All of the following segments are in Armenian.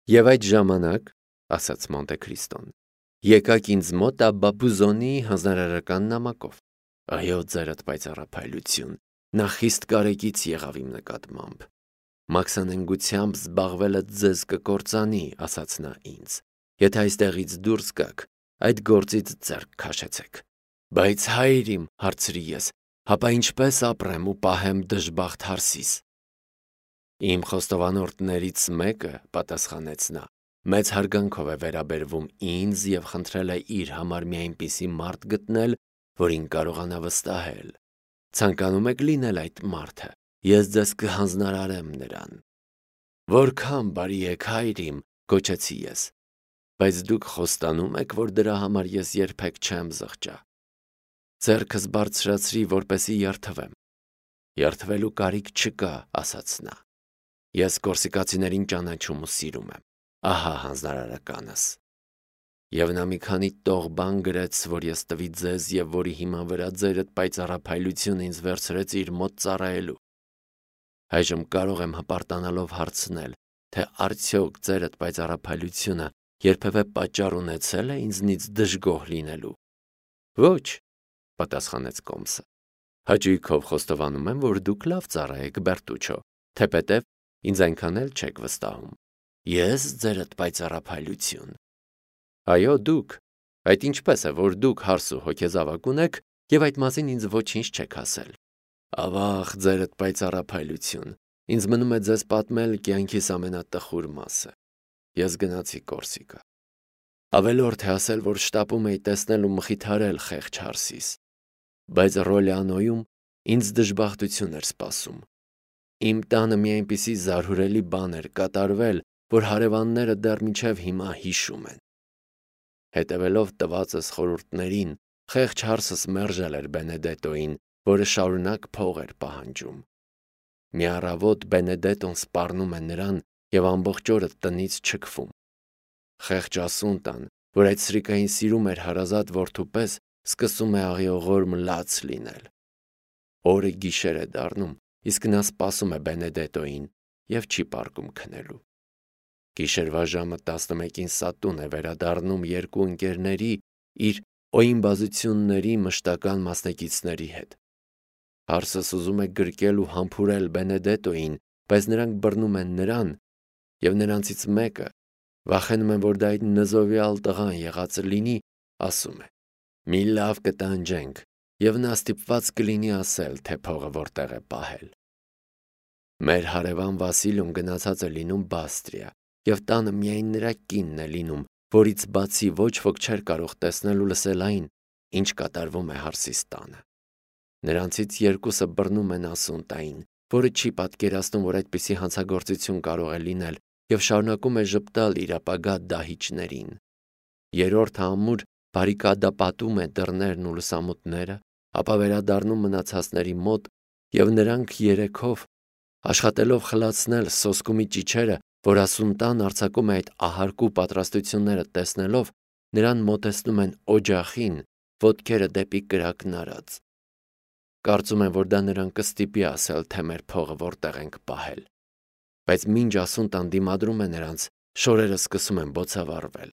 Եվ այդ ժամանակ, ասաց Մոնտե Քրիստոն, եկաք ինձ մոտ Աբբա Բուզոնի հանձնարարական նամակով։ Այո, ձերդ պայծառափայլություն, նա խիստ կարեկից եղավ իմ նկատմամբ։ Մաքսանենգությամբ զբաղվելը ձեզ կկործանի, ասաց նա ինձ։ Եթե այստեղից դուրս գաք, այդ գործից ձեռք քաշեցեք։ Բայց հայր իմ, հարցրի ես, հապա ինչպես ապրեմ ու պահեմ դժբախտ հարսիս։ Իմ խոստովանորդներից մեկը, պատասխանեց նա, մեծ հարգանքով է վերաբերվում ինձ եւ խնդրել է իր համար մի այնպիսի մարդ գտնել, որին կարողանա վստահել։ Ցանկանում եք լինել այդ մարդը, ես ձեզ կհանձնարարեմ նրան։ Որքան բարի եք, հայր իմ, գոչեցի ես։ Բայց դուք խոստանում եք, որ դրա համար ես երբեք չեմ զղջա։ Ձեռքս բարձրացրի, որպեսի երթվեմ։ Երթվելու կարիք չկա, ասաց նա։ Ես կորսիկացիներին ճանաչում ու սիրում եմ։ Ահա հանձնարարականս։ Եվ նա մի քանի տող բան գրեց, որ ես տվի ձեզ եւ որի հիման վրա ձերդ պայծառափայլությունը ինձ վերցրեց իր մոտ ծառայելու։ Այժմ կարող եմ հպարտանալով հարցնել, թե արդյոք ձերդ պայծառափայլությունը երբևէ պատճառ ունեցել է ինձնից դժգոհ լինելու։ Ոչ, պատասխանեց Կոմսը։ Հաճույքով խոստովանում եմ, որ դուք լավ ծառա եք, Բերտուչո, թեպետև ինձ այնքան էլ չեք վստահում։ Ես ձերդ պայծառափայլություն։ Այո, դուք։ Այդ ինչպես է, որ դուք հարս ու հոգեզավակ ունեք եւ այդ մասին ինձ ոչինչ չեք ասել։ Ավաղ, ձերդ պայծառափայլություն։ Ինձ մնում է ձեզ պատմել կյանքիս ամենատխուր մասը։ Ես գնացի Կորսիկա։ Ավելորդ է ասել, որ շտապում էի տեսնել ու մխիթարել խեղճ հարսիս։ Բայց Ռոլյանոյում ինձ դժբախտություն էր սպասում։ Իմ տանը մի այնպիսի զարհուրելի բան էր կատարվել, որ հարևանները դեռ մինչև հիմա հիշում են։ Հետևելով տվածս խորհուրդներին, խեղճ հարսս մերժել էր Բենեդետոին, որը շարունակ փող էր պահանջում։ Մի առավոտ Բենեդետոն սպառնում է նրան եւ ամբողջ օրը տնից չքվում։ Խեղճ ասունտան, որ այդ սրիկային սիրում էր հարազատ որդու պես, սկսում է աղիողոր մլաց լինել։ Օրը գիշեր է դառնում, իսկ նա սպասում է Բենեդետոին եւ չի պարկում քնելու։ Գիշերվա ժամը 11-ին Սատուն է վերադառնում երկու ընկերների իր օիմբազությունների մշտական մասնակիցների հետ։ Հարսս ուզում է գրկել ու համբուրել Բենեդետոին, բայց նրանք բռնում են նրան, եւ նրանցից մեկը, վախենում են, որ դա այդ նզովյալ տղան եղածը լինի, ասում է. «Մի լավ կտանջենք», եւ նա ստիպված կլինի ասել, թե փողը որտեղ է պահել։ Մեր հարևան Վասիլյոն գնացած է լինում Բաստրիա, եւ տանը միայն նրա կինն է լինում, որից բացի ոչ ոք չէր կարող տեսնել ու լսել այն, ինչ կատարվում է հարսիս տանը։ Նրանցից երկուսը բռնում են ասունտային, որը չի պատկերացնում, որ այդպիսի հանցագործություն կարող է լինել, եւ շարունակում է ժպտալ իր ապագա դահիճներին։ Երրորդը ամուր բարիկադապատում է դռներն ու լուսամուտները, ապա վերադառնում մնացածների մոտ, եւ նրանք երեքով, աշխատելով խլացնել սոսկումի ճիչերը, որ ասունտան արձակում է այդ ահարկու պատրաստությունները տեսնելով, նրան մոտեցնում են օջախին, ոտքերը դեպի կրակն արած։ Կարծում են, որ դա նրան կստիպի ասել, թե մեր փողը որտեղ ենք պահել։ Բայց մինչ ասունտան դիմադրում է նրանց, շորերը սկսում են բոցավառվել։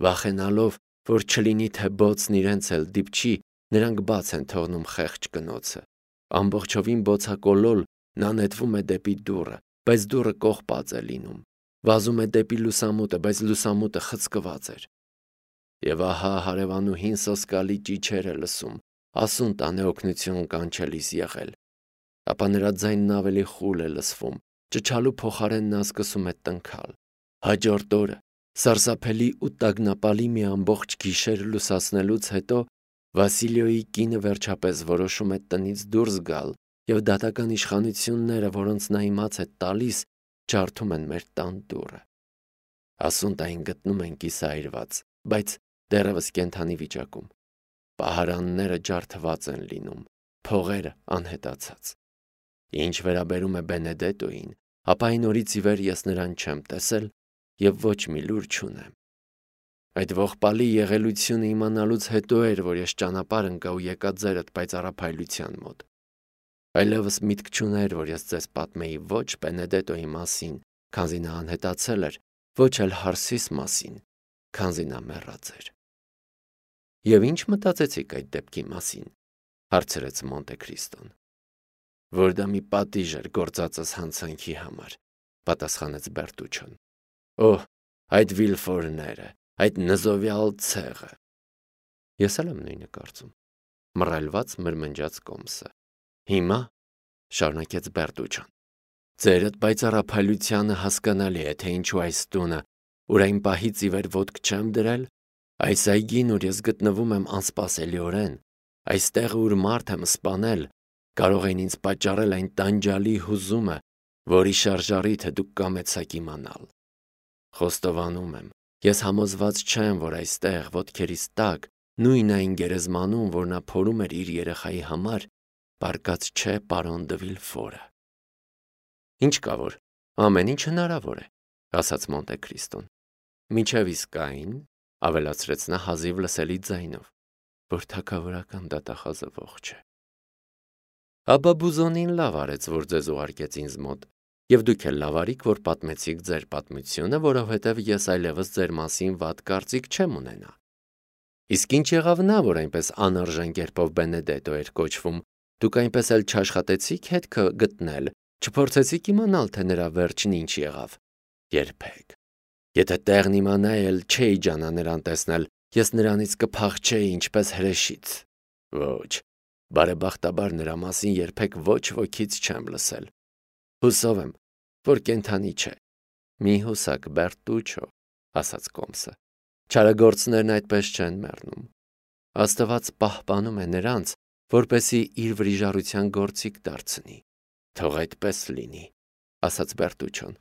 Վախենալով, որ չլինի թե բոցն իրենց էլ դիպչի, նրանք բաց են թողնում խեղճ կնոցը։ Ամբողջովին բոցակոլոլ նա նետվում է դեպի դուռը, բայց դուռը կողպած է լինում։ Վազում է դեպի լուսամուտը, բայց լուսամուտը խցկված էր։ Եվ ահա հարևանուհին սոսկալի ճիչեր է լսում, ասունտան է օգնություն կանչելիս եղել։ Ապա նրա ձայնն ավելի խուլ է լսվում, ճչալու փոխարեն նա սկսում է տնքալ։ Հաջորդ օրը, սարսափելի ու տագնապալի մի ամբողջ գիշեր լուսացնելուց հետո, Վասիլիոյի կինը վերջապես որոշում է տնից դուրս գալ, եւ դատական իշխանությունները, որոնց նա իմաց է տալիս, ջարդում են մեր տան դուռը։ Ասունտային գտնում են կիսայրված, բայց դեռևս կենդանի վիճակում։ Պահարանները ջարդված են լինում, փողերը անհետացած։ Ինչ վերաբերում է Բենեդետոին, ապա այն օրից ի վեր ես նրան չեմ տեսել եւ ոչ մի լուր չունեմ։ Այդ ողբալի եղելությունը իմանալուց հետո էր, որ ես ճանապարհ ընկա ու եկա ձերդ պայծառափայլության մոտ։ Այլևս միտք չուներ, որ ես ձեզ պատմեի ոչ Բենեդետոյի մասին, քանզի նա անհետացել էր, ոչ էլ հարսիս մասին, քանզի նա մեռած էր։ Եվ ինչ մտածեցիք այդ դեպքի մասին, հարցրեց Մոնտե Քրիստոն։ Որ դա մի պատիժ էր գործածս հանցանքի համար, պատասխանեց Բերտուչոն։ Օհ, այդ Վիլֆորները, այդ նզովյալ ցեղը։ Ես էլ եմ նույնը կարծում, մռայլված մրմնջաց Կոմսը։ Հիմա, շարունակեց Բերտուչոն, ձերդ պայծառափայլությանը հասկանալի է, թե ինչու այս տունը, ուր այն պահից ի վեր ոտք չեմ դրել, այս այգին, ուր ես գտնվում եմ անսպասելիորեն, այստեղ ուր մարդ եմ սպանել, կարող էին ինձ պատճառել այն տանջալի հուզումը, որի շարժառիթը դուք կամեցաք իմանալ։ Խոստովանում եմ, ես համոզված չեմ, որ այստեղ ոտքերիս տակ նույն այն գերեզմանում, որ նա փորում էր իր երեխայի համար, պառկած չէ պարոն դը Վիլֆորը։ Ինչ կա որ, ամեն ինչ հնարավոր է, ասաց Մոնտե Քրիստոն։ Մինչև իսկ այն, ավելացրեց նա հազիվ լսելի ձայնով, որ թագավորական դատախազը ողջ է։ Աբա Բուզոնին լավ արեց, որ ձեզ ուղարկեց ինձ մոտ, եւ դուք էլ լավ արիք, որ պատմեցիք ձեր պատմությունը, որովհետեւ ես այլևս ձեր մասին վատ կարծիք չեմ ունենա։ Իսկ ինչ եղավ նա, որ այնպես անարժան կերպով Բենեդետո էր կոչվում, դուք այնպես էլ չաշխատեցիք հետքը գտնել, չփորձեցիք իմանալ, թե նրա վերջին ինչ եղավ։ Երբեք։ Եթե տեղն իմանայի էլ չէի ջանա նրան տեսնել, ես նրանից կփախչեի ինչպես հրեշից։ Ոչ, բարեբախտաբար նրա մասին երբեք ոչ ոքից չեմ լսել։ Հուսով եմ, որ կենդանի չէ։ Մի հուսակ, Բերտուչո, ասաց Կոմսը։ Չարագործներն այդպես չեն մեռնում։ Աստված պահպանում է նրանց, որպեսզի իր վրիժառության գործիք դարձնի։ Թող այդպես լինի, ասաց Բերտուչոն։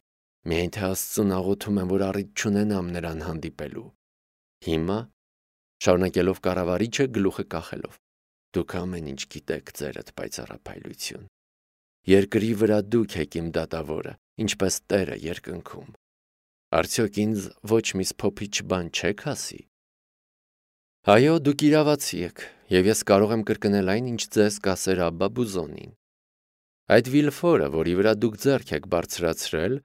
Միայն թե Աստծուն աղոթում եմ, որ առիթ չունենամ նրան հանդիպելու։ Հիմա, շարունակելով կառավարիչը գլուխը կախելով, դուք ամեն ինչ գիտեք ձերդ պայծառափայլություն։ Երկրի վրա դուք եք իմ դատավորը, ինչպես Տերը երկնքում։ Արդյոք ինձ ոչ մի սփոփիչ բան չեք ասի։ Այո, դուք իրավացի եք, եւ ես կարող եմ կրկնել այն, ինչ ձեզ կասեր Աբբա Բուզոնին։ Այդ Վիլֆորը, որի վրա դուք ձեռք եք բարձրացրել,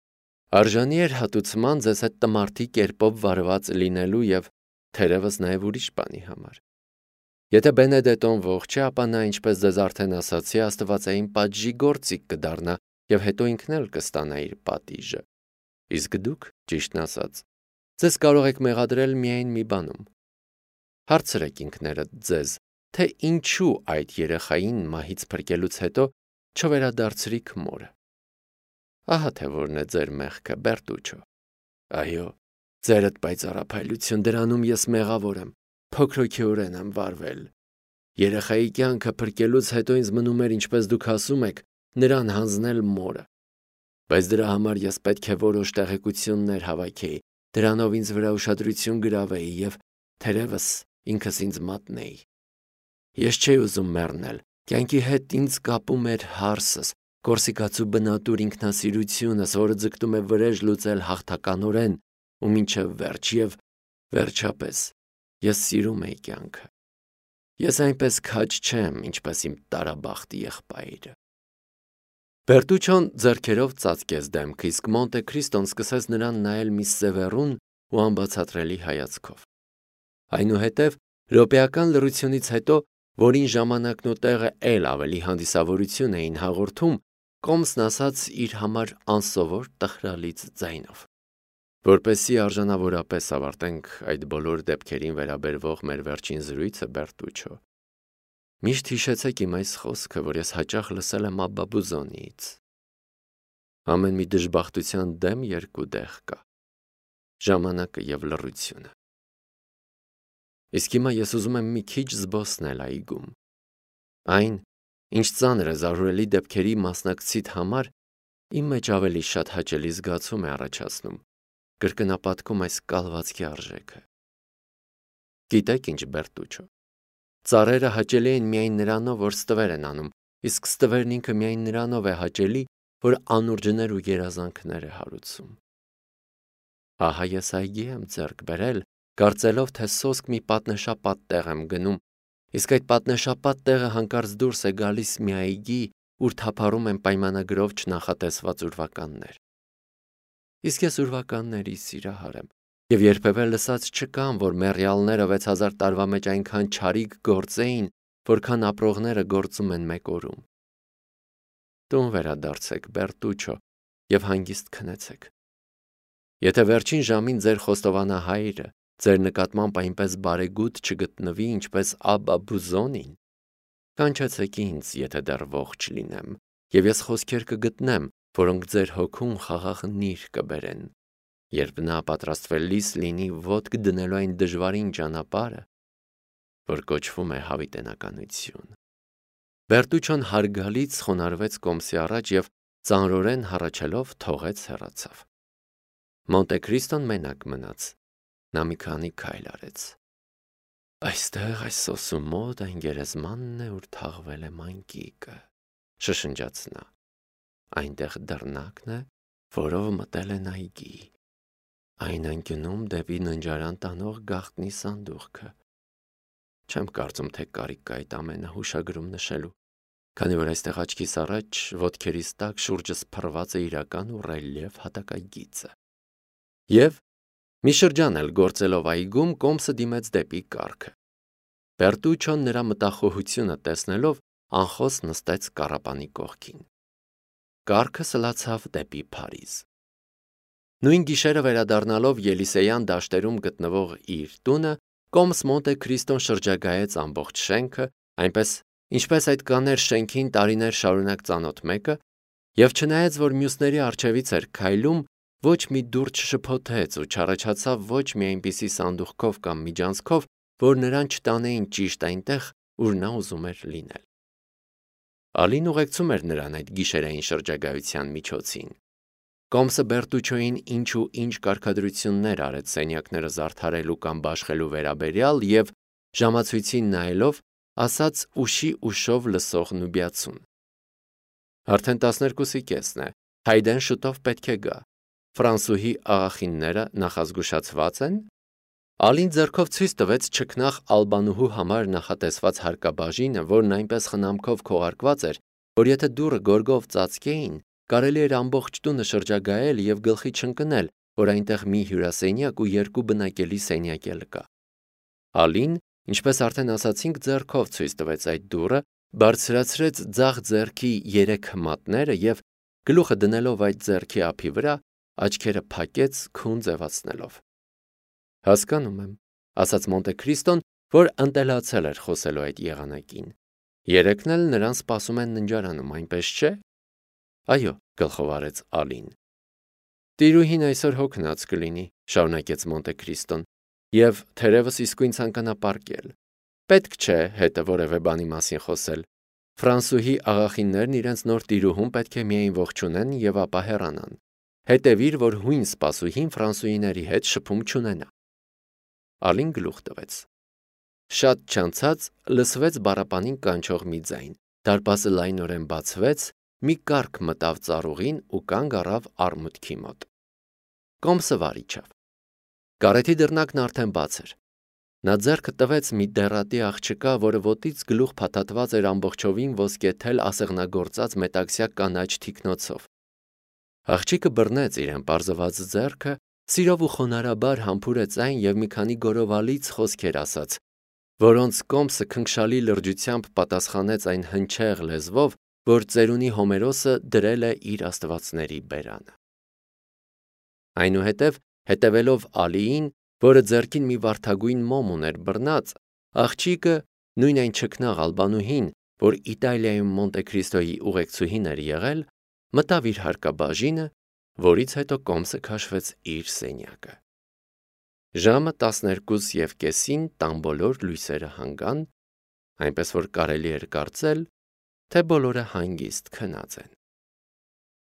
արժանի էր հատուցման ձեզ հետ տմարդի կերպով վարված լինելու եւ թերևս նաեւ ուրիշ բանի համար։ Եթե Բենեդետոն ողջ է, ապա նա, ինչպես ձեզ արդեն ասացի, աստվածային պատժի գործիք կդառնա եւ հետո ինքն էլ կստանա իր պատիժը։ Իսկ դուք, ճիշտն ասած, ձեզ կարող եք մեղադրել միայն մի բանում։ Հարցրեք ինքներդ ձեզ, թե ինչու այդ երեխային մահից փրկելուց հետո չվերադարձրիք մորը։ Ահա թե որն է ձեր մեղքը, Բերտուչո։ Այո, ձերդ պայծառափայլություն, դրանում ես մեղավոր եմ, փոքրոքեորեն եմ վարվել։ Երեխայի կյանքը փրկելուց հետո ինձ մնում էր, ինչպես դուք ասում եք, նրան հանձնել մորը։ Բայց դրա համար ես պետք է որոշ տեղեկություններ հավաքեի, դրանով ինձ վրա ուշադրություն գրավեի եւ թերևս ինքս ինձ մատնեի։ Ես չէի ուզում մեռնել, կյանքի հետ ինձ կապում էր հարսս, կորսիկացու բնատուր ինքնասիրությունս, որը ձգտում է վրեժ լուծել հաղթականորեն ու մինչև վերջ եւ վերջապես ես սիրում էի կյանքը։ Ես այնպես քաջ չեմ, ինչպես իմ տարաբախտ եղբայրը։ Բերտուչոն ձեռքերով ծածկեց դեմքը, իսկ Մոնտե Քրիստոն սկսեց նրան նայել մի սևեռուն ու անբացատրելի հայացքով։ Այնուհետև րոպեական լռությունից հետո, որին ժամանակն ու տեղը էլ ավելի հանդիսավորություն էին հաղորդում, Կոմսն ասաց իր համար անսովոր տխրալից ձայնով. Որպեսզի արժանավորապես ավարտենք այդ բոլոր դեպքերին վերաբերվող մեր վերջին զրույցը, Բերտուչո, միշտ հիշեցեք իմ այս խոսքը, որ ես հաճախ լսել եմ Աբբա Բուզոնիից։ Ամեն մի դժբախտության դեմ երկու դեղ կա՝ ժամանակը եւ լռությունը։ Իսկ հիմա ես ուզում եմ մի քիչ զբոսնել այգում։ Այն, ինչ ծանր է զարհուրելի դեպքերի մասնակցիդ համար, իմ մեջ ավելի շատ հաճելի զգացում է առաջացնում, կրկնապատկում այս կալվածքի արժեքը։ Գիտեք ինչ, Բերտուչո, ծառերը հաճելի են միայն նրանով, որ ստվեր են անում, իսկ ստվերն ինքը միայն նրանով է հաճելի, որ անուրջներ ու երազանքներ է հարուցում։ Ահա ես այգի եմ ձեռք բերել, կարծելով, թե սոսկ մի պատնեշապատ տեղ եմ գնում, իսկ այդ պատնեշապատ տեղը հանկարծ դուրս է գալիս մի այգի, ուր թափառում են պայմանագրով չնախատեսված ուրվականներ։ Իսկ ես ուրվականների սիրահար եմ, եւ երբևէ լսած չկամ, որ մեռյալները 6000 տարվա մեջ այնքան չարիք գործեին, որքան ապրողները գործում են մեկ օրում։ Տուն վերադարձեք, Բերտուչո, եւ հանգիստ քնեցեք։ Եթե վերջին ժամին ձեր խոստովանահայրը ձեր նկատմամբ այնպես բարեգութ չգտնվի, ինչպես Աբբա Բուզոնին, կանչեցեք ինձ, եթե դեռ ողջ լինեմ, եւ ես խոսքեր կգտնեմ, որոնք ձեր հոգուն խաղաղ նիր կբերեն, երբ նա պատրաստվելիս լինի ոտք դնելու այն դժվարին ճանապարհը, որ կոչվում է հավիտենականություն։ Բերտուչոն հարգալից խոնարհվեց կոմսի առաջ եւ ծանրորեն հառաչելով թողեց հեռացավ։ Մոնտե Քրիստոն մենակ մնաց։ Նա մի քանի քայլ արեց։ Այստեղ այս սոսու մոտ այն գերեզմանն է, ուր թաղվել է մանկիկը, շշնջաց նա։ Այնտեղ դռնակն է, որով մտել են այգի։ Այն անկյունում դեպի ննջարան տանող գաղտնի սանդուղքը։ Չեմ կարծում, թե կարիք կա այդ ամենը հուշագրում նշելու, քանի որ այստեղ աչքիս առաջ ոտքերիս տակ շուրջս փռված է իրական ու ռելիեֆ հատակագիծը։ Եվ մի շրջան էլ գործելով այգում կոմսը դիմեց դեպի կառքը։ Բերտուչոն նրա մտախոհությունը տեսնելով անխոս նստեց կառապանի կողքին։ Կառքը սլացավ դեպի Փարիզ։ Նույն գիշերը վերադառնալով Ելիսեյան դաշտերում գտնվող իր տունը, կոմս Մոնտե Քրիստոն շրջագայեց ամբողջ շենքը, այնպես ինչպես այդ կաներ շենքին տարիներ շարունակ ծանոթ մեկը, եւ չնայած որ մյուսների առջևից էր քայլում, ոչ մի դուռ չշփոթեց ու չառաջացավ ոչ մի այնպիսի սանդուղքով կամ միջանցքով, որ նրան չտանեին ճիշտ այնտեղ, ուր նա ուզում էր լինել։ Ալին ուղեկցում էր նրան այդ գիշերային շրջագայության միջոցին։ Կոմսը Բերտուչոին ինչ ու ինչ կարգադրություններ արեց սենյակները զարդարելու կամ բաշխելու վերաբերյալ եւ ժամացույցին նայելով ասաց ուշի ուշով լսող նուբիացուն. Արդեն 12:30 է, Հայդեն շուտով պետք է գա։ Ֆրանսուհի աղախինները նախազգուշացված են։ Ալին ձեռքով ցույց տվեց չքնաղ ալբանուհու համար նախատեսված հարկաբաժինը, որն այնպես խնամքով քողարկված էր, որ եթե դուռը գորգով ծածկեին, կարելի էր ամբողջ տունը շրջագայել եւ գլխի չընկնել, որ այնտեղ մի հյուրասենյակ ու երկու բնակելի սենյակ էլ կա։ Ալին, ինչպես արդեն ասացինք, ձեռքով ցույց տվեց այդ դուռը, բարձրացրեց ձախ ձեռքի 3 հմատները եւ գլուխը դնելով այդ ձեռքի ափի վրա, աչքերը փակեց քուն ձևացնելով։ Հասկանում եմ, ասաց Մոնտե Քրիստոն, որ ընտելացել էր խոսելու այդ եղանակին։ Երեքն էլ նրան սպասում են ննջարանում, այնպես չէ։ Այո, գլխով արեց Ալին։ Տիրուհին այսօր հոգնած կլինի, շարունակեց Մոնտե Քրիստոն, եւ թերևս իսկույն ցանկանա պառկել։ Պետք չէ հետը որևէ բանի մասին խոսել։ Ֆրանսուհի աղախիններն իրենց նոր տիրուհուն պետք է միայն ողջունեն եւ ապա հեռանան։ Հետևիր, որ հույն սպասուհին ֆրանսուհիների հետ շփում չունենա։ Ալին գլուխ տվեց։ Շատ չանցած լսվեց բառապանին կանչող մի ձայն։ Դարպասը լայնորեն բացվեց, մի կառք մտավ ծառուղին ու կանգ առավ արմուտքի մոտ։ Կոմսը վար իջավ։ Կարեթի դռնակն արդեն բաց էր։ Նա ձեռքը տվեց մի դեռատի աղջկա, որը ոտից գլուխ փաթաթված էր ամբողջովին ոսկեթել ասեղնագործած մետաքսյա կանաչ թիկնոցով։ Աղջիկը բռնեց իրեն պարզված ձեռքը, սիրով ու խոնարհաբար համբուրեց այն եւ մի քանի գորովալից խոսքեր ասաց, որոնց կոմսը քնքշալի լրջությամբ պատասխանեց այն հնչեղ լեզվով, որ ծերունի Հոմերոսը դրել է իր աստվածների բերանը։ Այնուհետև, հետևելով Ալիին, որը ձեռքին մի վարդագույն մոմ ուներ բռնած, աղջիկը, նույն այն չքնաղ ալբանուհին, որ Իտալիայում Մոնտե Քրիստոյի ուղեկցուհին էր եղել, մտավ իր հարկաբաժինը, որից հետո կոմսը քաշվեց իր սենյակը։ Ժամը 12:30-ին տան բոլոր լույսերը հանգան, այնպես որ կարելի էր կարծել, թե բոլորը հանգիստ քնած են։